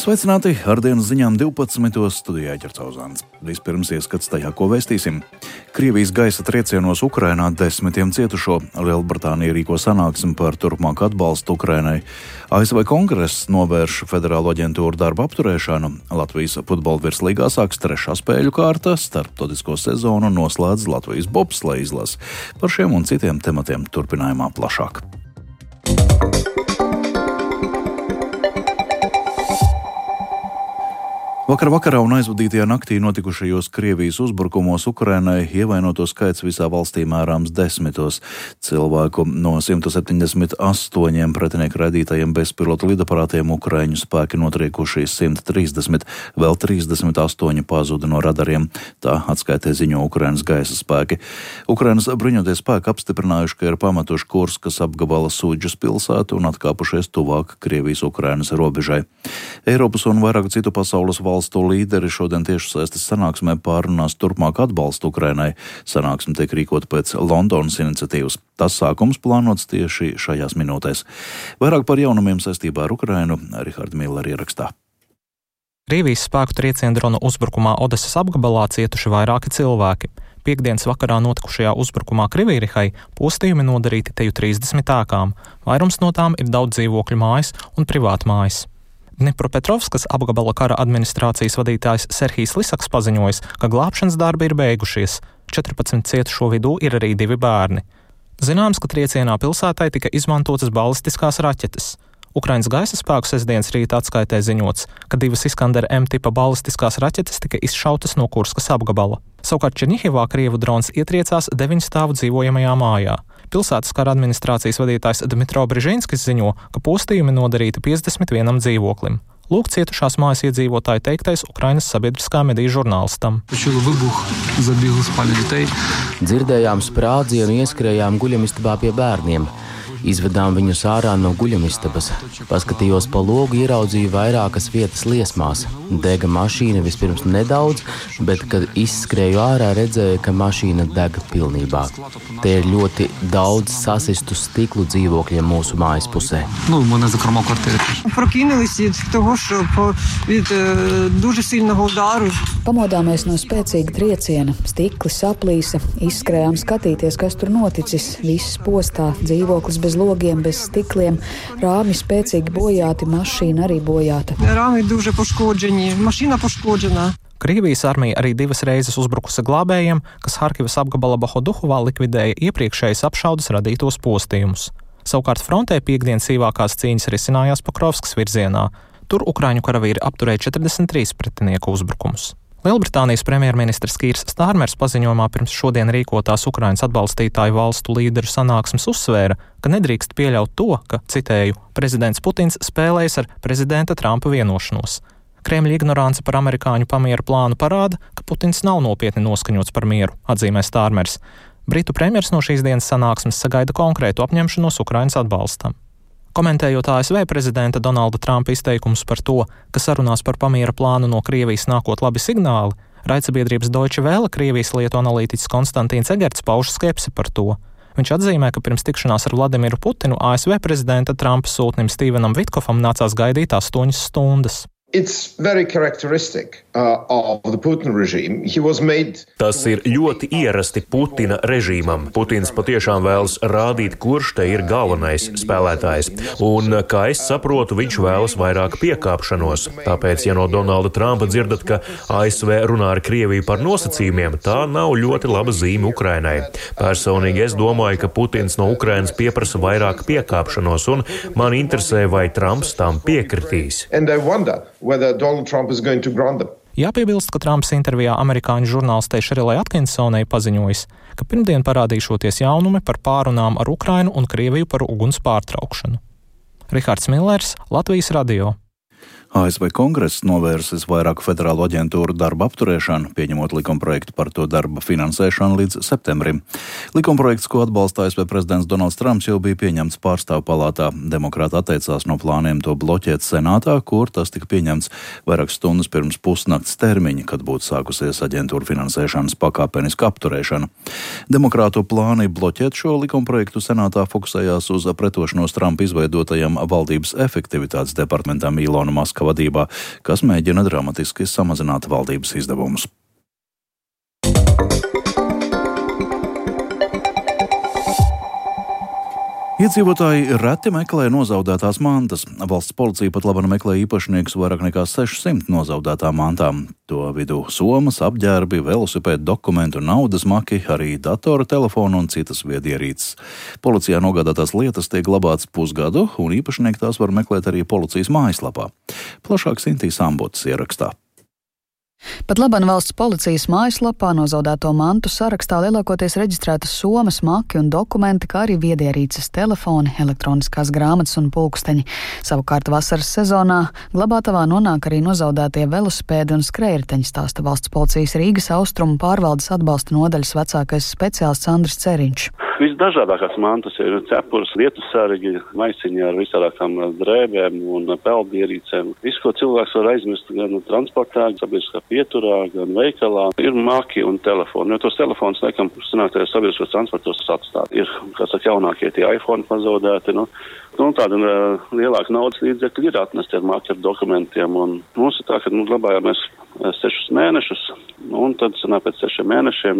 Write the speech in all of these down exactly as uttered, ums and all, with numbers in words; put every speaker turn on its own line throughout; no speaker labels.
Sveicināti! Ar dienas ziņām divpadsmitos studijā Ķercauzāns. Vispirms ieskats tajā, ko vēstīsim. Krievijas gaisa triecienos Ukrainā desmitiem cietušo. Lielbritānija rīko sanāksmi par turpmāku atbalstu Ukrainai. A S V Kongress novērš federālo aģentūru darba apturēšanu. Latvijas futbola virslīgā sāks trešā spēļu kārta. Starptautisko sezonu noslēdz Latvijas bobsleja izlase. Par šiem un citiem tematiem turpinājumā plašāk. Vakar vakarā un aizvadītajā naktī notikušajos Krievijas uzbrukumos Ukrainai ievainoto skaits visā valstī mērāms desmitos. Cilvēku no simt septiņdesmit astoņiem pretinieku raidītajiem bezpilotu lidaparātiem Ukraiņu spēki notriekuši simt trīsdesmit, vēl trīsdesmit astoņi pazuda no radariem. Tā atskaitē ziņo Ukrainas gaisa spēki. Ukrainas bruņotie spēki apstiprinājuši, ka ir pametuši Kurskas apgabala Sūdžas pilsētu un atkāpušies tuvāk Krievijas-Ukrainas robežai. Eiropas un vairāku citu pasaules valstu Valstu līderi šodien tiešsaistes sanāksmē pārunās turpmāk atbalstu Ukrainai. Sanāksme tiek rīkota pēc Londonas iniciatīvas. Tas sākums plānots tieši šajās minūtēs. Vairāk par jaunumiem saistībā ar Ukrainu Riharda Millera ierakstā.
Krievijas spēku trieciena drona uzbrukumā Odesas apgabalā cietuši vairāki cilvēki. Piektdienas vakarā notikušajā uzbrukumā Krivirihai postījumi nodarīti teju trīsdesmit ēkām. Vairums no tām ir daudz dzīvokļu mājas un privātmājas. Dnipropetrovskas apgabala kara administrācijas vadītājs Serhijs Lisaks paziņojis, ka glābšanas darbi ir beigušies. četrpadsmit cietušo vidū ir arī divi bērni. Zināms, ka triecienā pilsētai tika izmantotas balistiskās raķetes. Ukrainas gaisa spēku sestdienas rīta atskaitē ziņots, ka divas Iskander M tipa balistiskās raķetes tika izšautas no Kurskas apgabala. Savukārt Černihivā Krievu drons ietriecās deviņu stāvu dzīvojamajā mājā. Pilsētas kara administrācijas vadītājs Dmitro Brižinskis ziņo, ka postījumi nodarīti piecdesmit vienam dzīvoklim. Lūk cietušās mājas iedzīvotāju teiktais Ukrainas sabiedriskā mediju žurnālistam.
Dzirdējām sprādzienu, ieskrējām guļamistabā pie bērniem. Izvedām viņus ārā no guļamistabas. Paskatījos pa logu, ieraudzīju vairākas vietas liesmās. Dega mašīna vispirms nedaudz, bet, kad izskrēju ārā, redzēju, ka mašīna deg pilnībā. Te ir ļoti daudz sasistu stiklu dzīvokļiem mūsu mājas pusē.
Pamodāmies no spēcīga trieciena. Stikli saplīsa, izskrējām skatīties, kas tur noticis. Viss postā, dzīvoklis bez logiem, bez stikliem, rāmi spēcīgi bojāti, mašīna arī bojāta.
Rāmi duži poškođeni, mašīna poškođena.
Krievijas armija arī divas reizes uzbrukusi glābējiem, kas Harkivas apgabala Bahoduhovā likvidēja iepriekšējas apšaudes radītos postījumus. Savukārt frontē piektdien sīvākās cīņas risinājās Pokrovskas virzienā. Tur Ukraiņu karavīri apturēja četrdesmit trīs pretinieku uzbrukumus. Lielbritānijas premjerministrs Kīrs Stārmers paziņojumā pirms šodien rīkotās Ukrainas atbalstītāju valstu līderu sanāksmes uzsvēra, ka nedrīkst pieļaut to, ka, citēju, prezidents Putins spēlējas ar prezidenta Trumpa vienošanos. Kremļa ignorance par amerikāņu pamiera plānu parāda, ka Putins nav nopietni noskaņots par mieru, atzīmē Stārmers. Britu premjers no šīs dienas sanāksmes sagaida konkrētu apņemšanos Ukrainas atbalstam. Komentējot A S V prezidenta Donalda Trumpa izteikumus par to, ka sarunās par pamiera plānu no Krievijas nākot labi signāli, raidsabiedrības Deutsche Welle Krievijas lietu analītiķis Konstantīns Egerts pauž skepsi par to. Viņš atzīmē, ka pirms tikšanās ar Vladimiru Putinu A S V prezidenta Trumpa sūtnim Stevenam Vitkofam nācās gaidīt astoņas stundas.
It's very characteristic uh, of the Putin regime. He was made...
Tas ir ļoti ierasti Putina režīmam. Putins patiešām vēlas rādīt, kurš te ir galvenais spēlētājs. Un, kā es saprotu, viņš vēlas vairāk piekāpšanos. Tāpēc, ja no Donalda Trumpa dzirdat, ka A S V runā ar Krieviju par nosacījumiem, tā nav ļoti laba zīme Ukrainai. Personīgi es domāju, ka Putins no Ukrainas pieprasa vairāk piekāpšanos, un man interesē, vai Trumps tam piekritīs.
Whether Donald Trump is going to grant them.
Jāpiebilst, ka Trumps intervijā amerikāņu žurnālistei Šerilai Atkinsonai paziņojis, ka pirmdien parādīšoties jaunumi par pārunām ar Ukrainu un Krieviju par uguns pārtraukšanu. Rihards Millers, Latvijas radio.
A S V Kongress novērsis vairāku federālu aģentūru darba apturēšanu, pieņemot likumprojektu par to darba finansēšanu līdz septembrim. Likumprojekts, ko atbalsta A S V prezidents Donalds Trumps, jau bija pieņemts pārstāvu palātā. Demokrāti atteicās no plāniem to bloķēt senātā, kur tas tika pieņemts vairākas stundas pirms pusnakts termiņa, kad būtu sākusies aģentūru finansēšanas pakāpeniska apturēšana. Demokrātu plāni bloķēt šo likumprojektu senātā fokusējās uz pretošanos Trumpa izveidotajam valdības efektivitātes departamentam Ilona Maska Kļavnieka vadībā, kas mēģina dramatiski samazināt valdības izdevumus. Iedzīvotāji reti meklē nozaudētās mantas. Valsts policija pat labāk meklē īpašniekus vairāk nekā sešsimt nozaudētām mantām. To vidū somas, apģērbi, velosipēdu dokumentu, naudas maki, arī datora telefonu un citas viedierīces. Policijā nogādātās lietas tiek glabātas pusgadu, un īpašnieki tās var meklēt arī policijas mājaslapā. Plašāk Sintīs Ambotas ierakstā.
Pat laban valsts policijas mājaslapā nozaudēto mantu sarakstā lielākoties reģistrētas somas, maki un dokumenti, kā arī viedierīces, telefoni, elektroniskās grāmatas un pulksteņi. Savukārt vasaras sezonā glabātavā nonāk arī nozaudētie velosipēdi un skrējriteņi, stāsta valsts policijas Rīgas austrumu pārvaldes atbalsta nodaļas vecākais speciālists Andris Ceriņš.
Visdažādākās mantas ir cepures, vietu sargi, maisiņi ar visādākām drēbēm un peldierīcēm. Visu, ko cilvēks var aizmirst gan transportā, sabiedriskā pieturā, gan veikalā, ir maki un telefoni. Jo tos telefonus, laikam, sanāktajos sabiedriskos transportos atstāt. Ir, kā saka, jaunākie tie iPhone pazaudēti, nu, nu tāda uh, lielāka naudas līdzekļi ir atnesti ar maki ar dokumentiem. Un mums ir tā, ka nu, glabājāmies sešus mēnešus, un tad, sanāk, pēc sešiem mēnešiem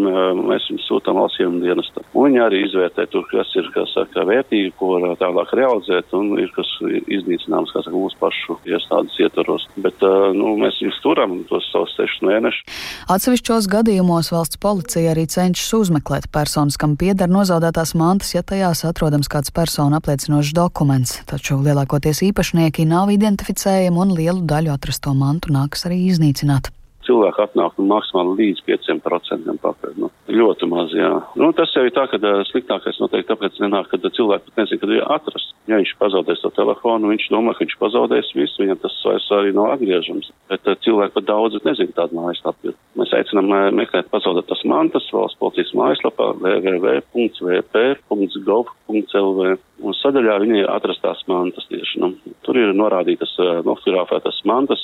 mēs viņus sūtām valsts ieņēmuma dienestam. Un viņi arī izvērtē tur, kas ir, kā saka, vērtīgi, ko var tālāk realizēt, un ir kas iznīcināms, kā saka, mūsu pašu iestādes ietvaros. Bet, nu, mēs viņus turam tos savus sešus mēnešus.
Atsevišķos gadījumos valsts policija arī cenšas uzmeklēt personas, kam pieder nozaudētās mantas, ja tajās atrodams kāds personu apliecinošs dokuments. Taču lielākoties īpašnieki nav identificējami un lielu daļu atrasto mantu nākas arī iznīcināt.
Cilvēki atnāk nu, maksimāli līdz pieciem procentiem pakaļ. Nu, ļoti maz, jā. Nu, tas jau ir tā, ka sliktākais noteikti tāpēc nenāk, kad cilvēki pat nezin, kad ir atrasts. Ja viņš pazaudēs to telefonu, viņš domā, ka viņš pazaudēs visu, viņam tas vairs arī nav atgriežams. Bet cilvēki pat daudz nezin tādu mājaslapu. Mēs aicinām meklēt pazaudētas mantas valsts policijas mājaslapā w w w punkts v p punkts gov punkts l v. Un sadaļā viņi ir atrastās mantas tieši. Nu, tur ir norādītas nofotografētas mantas,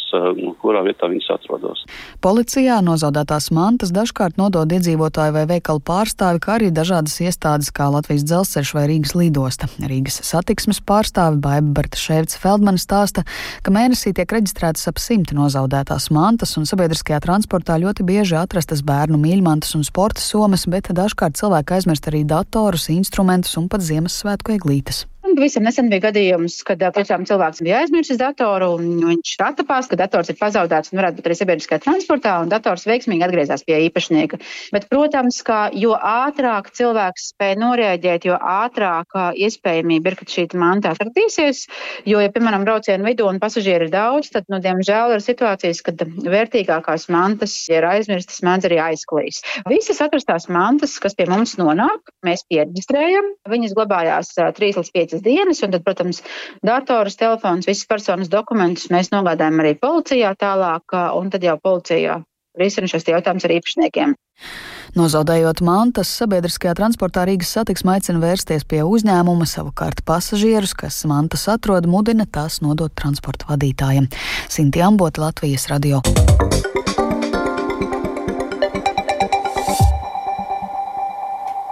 kurā vietā viņas atrodas.
Policijā nozaudētās mantas dažkārt nodod iedzīvotāju vai veikalu pārstāvi, kā arī dažādas iestādes kā Latvijas dzelzceļš vai Rīgas lidosta. Rīgas satiksmes pārstāve Baiba Bartaševica-Feldmane stāsta, ka mēnesī tiek reģistrētas ap simti nozaudētās mantas, un sabiedriskajā transportā ļoti bieži atrastas bērnu mīļmantas un sporta somas, bet dažkārt cilvēki aizmirst arī datorus, instrumentus un pat Ziemassvētku eglītes.
Pavisam nesen bija gadījums, kad tiešām cilvēks bija aizmirsis datoru, un viņš attapās, ka dators ir pazaudēts un varētu būt arī sabiedriskajā transportā, un dators veiksmīgi atgriezās pie īpašnieka. Bet, protams, ka jo ātrāk cilvēks spēj noreaģēt, jo ātrāk iespējamība ir, ka šī manta atradīsies, jo, ja, piemēram, braucienu vidū un pasažieri ir daudz, tad, nu, diemžēl ir situācijas, kad vērtīgākās mantas, ja ir aizmirstas, mēdz arī aizklīs. Visas atrastās mantas, kas pie mums nonāk, mēs pieregistrējam, viņas glabājās trīs līdz piecas dienas, un tad, protams, datorus, telefons, visas personas dokumentus mēs nogādājam arī policijā tālāk, un tad jau policijā risina šos jautājumus ar īpašniekiem.
Nozaudējot mantas, sabiedriskajā transportā Rīgas satiksme aicina vērsties pie uzņēmuma, savukārt pasažierus, kas mantas atrod, mudina tās nodot transporta vadītājiem. Sintī Ambota, Latvijas radio.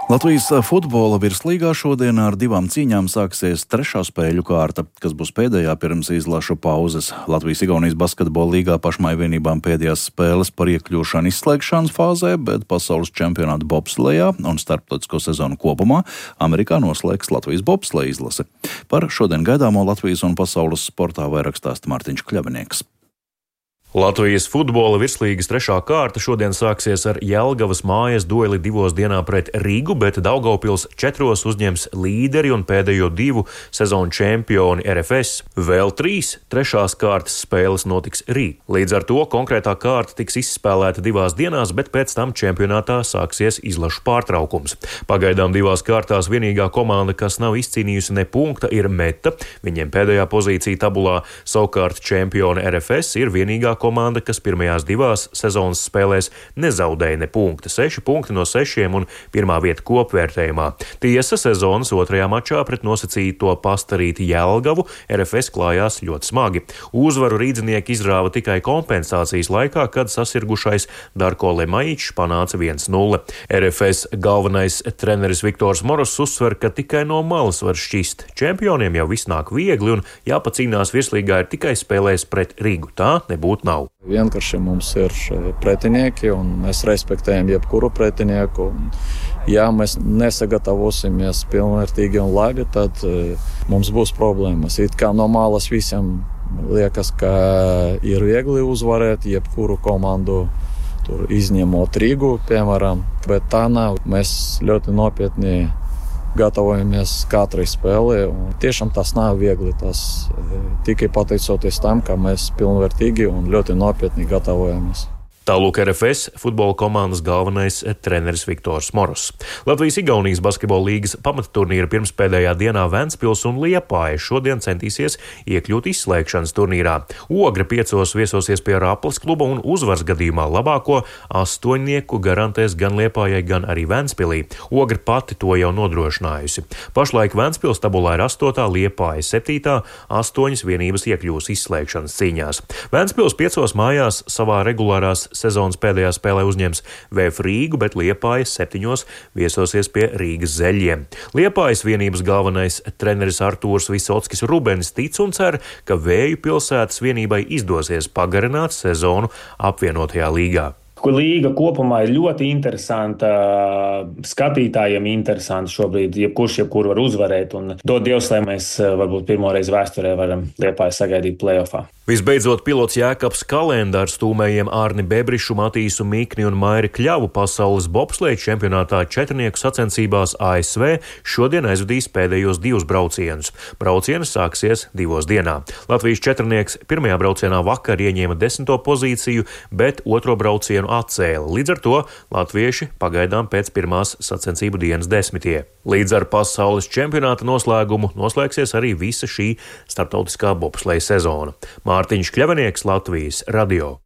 Latvijas futbola virslīgā šodien ar divām cīņām sāksies trešā spēļu kārta, kas būs pēdējā pirms izlašu pauzes. Latvijas-Igaunijas basketbola līgā pašmaivienībām pēdējās spēles par iekļūšanu izslēgšanas fāzē, bet pasaules čempionāta bobslejā un starptautisko sezonu kopumā Amerikā noslēgs Latvijas bobsleja izlase. Par šodien gaidāmo Latvijas un pasaules sportā vairāk stāsta Mārtiņš Kļavnieks.
Latvijas futbola virslīgas trešā kārta šodien sāksies ar Jelgavas mājas dueli divos dienā pret Rīgu, bet Daugavpils četros uzņems līderi un pēdējo divu sezonu čempioni R F S. Vēl trīs trešās kārtas spēles notiks rīt. Līdz ar to konkrētā kārta tiks izspēlēta divās dienās, bet pēc tam čempionātā sāksies izlašu pārtraukums. Pagaidām divās kārtās vienīgā komanda, kas nav izcīnījusi ne punkta, ir Meta. Viņiem pēdējā pozīcija tabulā, savukārt čempioni R F S ir vienīgā komanda, komanda, kas pirmajās divās sezonas spēlēs nezaudēja ne punkta, seši punkti no sešiem un pirmā vieta kopvērtējumā. Tiesa, sezonas otrajā mačā pret nosacīto Pastarīti Jelgavu R F S klājās ļoti smagi. Uzvaru rīdzinieki izrāva tikai kompensācijas laikā, kad sasirgušais Darko Lemaičs panāca viens nulle. R F S galvenais treneris Viktors Moros uzsver, ka tikai no malas var šķist. Čempioniem jau viss nāk viegli un jāpacīnās virslīgā ir tikai spēlēs pret Rīgu. Tā nebūtu nav.
Vienkārši mums ir pretinieki un mēs respektējam jebkuru pretinieku. Un, ja mēs nesagatavosimies pilnvērtīgi un labi, tad mums būs problēmas. It kā no malas visiem liekas, ka ir viegli uzvarēt jebkuru komandu. Tur izņemot Rīgu, piemēram, bet tā nav. Mēs ļoti nopietni gatavojamies katrai spēlē. Tiešām tas nav viegli. Tas tikai pateicoties tam, ka mēs pilnvērtīgi un ļoti nopietni gatavojamies.
Tālūk R F S futbola komandas galvenais treneris Viktors Moros. Latvijas-Igaunijas basketbola līgas pamatturnīra pirmspēdējā dienā Ventspils un Liepāja šodien centīsies iekļūt izslēgšanas turnīrā. Ogre piecos viesosies pie Raplas kluba un uzvaras gadījumā labāko astoņnieku garantēs gan Liepājai, gan arī Ventspilī. Ogre pati to jau nodrošinājusi. Pašlaik Ventspils tabulā ir astotā, Liepāja septītā, astoņas vienības iekļūs izslēgšanas cīņās. Ventspils piecos mājās savā regulārās sezonas pēdējā spēlē uzņems V F Rīgu, bet Liepājas septiņos viesosies pie Rīgas Zeļiem. Liepājas vienības galvenais treneris Artūrs Visockis Rubens tic un cer, ka Vēju pilsētas vienībai izdosies pagarināt sezonu apvienotajā līgā.
Līga kopumā ir ļoti interesanta, skatītājiem interesanta šobrīd, jebkurš jebkuru var uzvarēt, un dod Dievs, lai mēs varbūt pirmoreiz vēsturē varam Liepāju sagaidīt play-offā.
Visbeidzot, pilots Jēkabs Kalendārs stūmējiem Ārni Bebrišu, Matīsu Mikni un Mairi Kļavu pasaules bobsleja čempionātā četrnieku sacensībās A S V šodien aizvadīs pēdējos divus braucienus. Braucienas sāksies divos dienā. Latvijas četrnieks pirmajā braucienā vakar ieņēma desmito pozīciju, bet otro braucienu atcēla. Līdz ar to latvieši pagaidām pēc pirmās sacensību dienas desmitie. Līdz ar pasaules čempionāta noslēgumu noslēgsies arī visa šī starptautiskā bobsleja sezona. Mārtiņš Kļavinieks, Latvijas radio.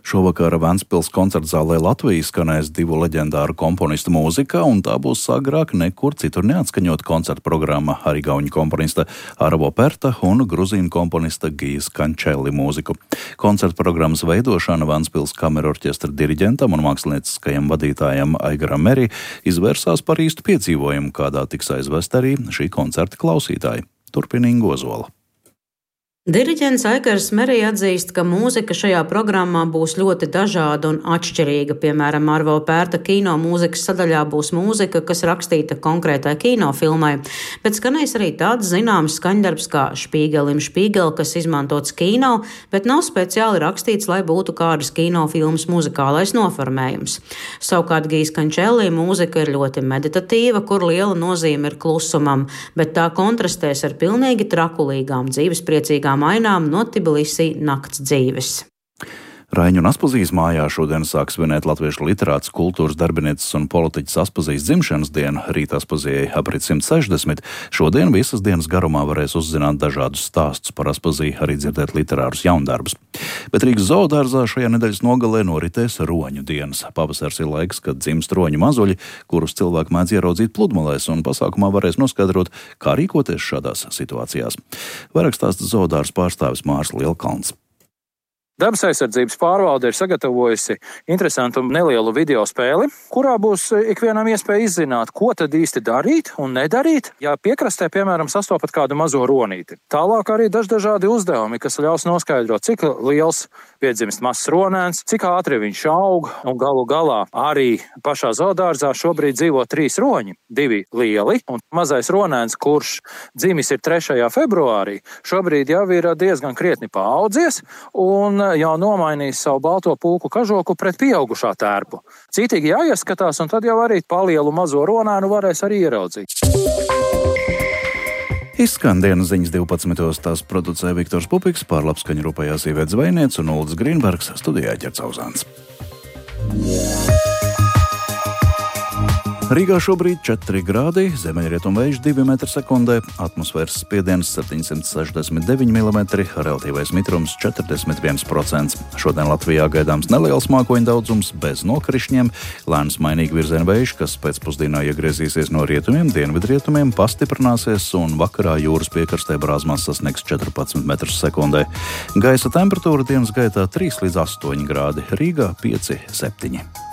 Šovakar Ventspils koncertzālē Latvijas skanēs divu leģendāru komponistu mūzika, un tā būs agrāk nekur citur neatskaņot koncerta programma ar igauņu komponista Arvo Perta un gruzīnu komponista Gijas Kančeli mūziku. Koncerta programmas veidošana Ventspils kamerorķestra diriģentam un mākslinieckajam vadītājam Aigaram Meri izvērsās par īstu piedzīvojumu, kādā tiks aizvest arī šī koncerta klausītāji. Turpina Inga Ozola.
Diriģents Aigars Meri atzīst, ka mūzika šajā programmā būs ļoti dažāda un atšķirīga. Piemēram, Arvo Pērta kino mūzikas sadaļā būs mūzika, kas rakstīta konkrētai kinofilmai, bet skanēs arī tāds zināms skaņdarbs kā Špīgelim Špīgel, kas izmantots kino, bet nav speciāli rakstīts, lai būtu kādas kinofilmas muzikālais noformējums. Savukārt Gijas Kančelī mūzika ir ļoti meditatīva, kur liela nozīme ir klusumam, bet tā kontrastēs ar pilnīgi trakulīgām dzīvespriecīgām mainām no Tbilisī nakts dzīves.
Raiņu un Aspazijas mājā šodien sāk svinēt latviešu literāts, kultūras darbinieces un politiķis Aspazijas dzimšanas dienu. Rīt Aspazijai aprit simt sešdesmit. Šodien visas dienas garumā varēs uzzināt dažādus stāstus par Aspaziju, arī dzirdēt literārus jaundarbus. Bet Rīgas zoodārzā šajā nedēļas nogalē noritēs roņu dienas. Pavasars ir laiks, kad dzimst roņu mazuļi, kurus cilvēki mēdz ieraudzīt pludmalēs, un pasākumā varēs noskaidrot, kā rīkoties šādās situācijās. Vairāk stāsta zoodārs pārstāvis Mārs Lielkalns.
Dabas aizsardzības pārvalde ir sagatavojusi interesantu nelielu video spēli, kurā būs ikvienam iespēja izzināt, ko tad īsti darīt un nedarīt, ja piekrastē, piemēram, sastopat kādu mazo ronīti. Tālāk arī dažādi uzdevumi, kas ļaus noskaidrot, cik liels piedzimst mazs ronēns, cik ātri viņš aug, un galu galā arī pašā zoodārzā šobrīd dzīvo trīs roņi, divi lieli, un mazais ronēns, kurš dzimis ir trešajā februārī, šobrīd jau ir diezgan krietni paaudzies, un jau nomainījis savu balto pulku kažoku pret pieaugušā tērpu. Cītīgi jāieskatās, un tad jau arī palielu mazo ronēnu varēs arī ieraudzīt.
Izskan dienas ziņas divpadsmitos, tās producē Viktors Pupiks, pār labskaņu rūpējās Iveta Zvejniece un Uldis Grīnbergs, studijā Ķercauzāns. Rīgā šobrīd četri grādi, ziemeļrietumvējš divi metri sekundē, atmosfēras spiediens septiņsimt sešdesmit deviņi milimetri, relatīvais mitrums četrdesmit viens procents. Šodien Latvijā gaidāms neliels mākoņu daudzums bez nokrišņiem, lēns mainīgi virziena vējš, kas pēcpusdienā iegriezīsies no rietumiem, dienvidrietumiem, pastiprināsies un vakarā jūras piekrastē brāzmās sasniegs četrpadsmit metrus sekundē. Gaisa temperatūra dienas gaitā trīs līdz astoņi grādi, Rīgā pieci septiņi.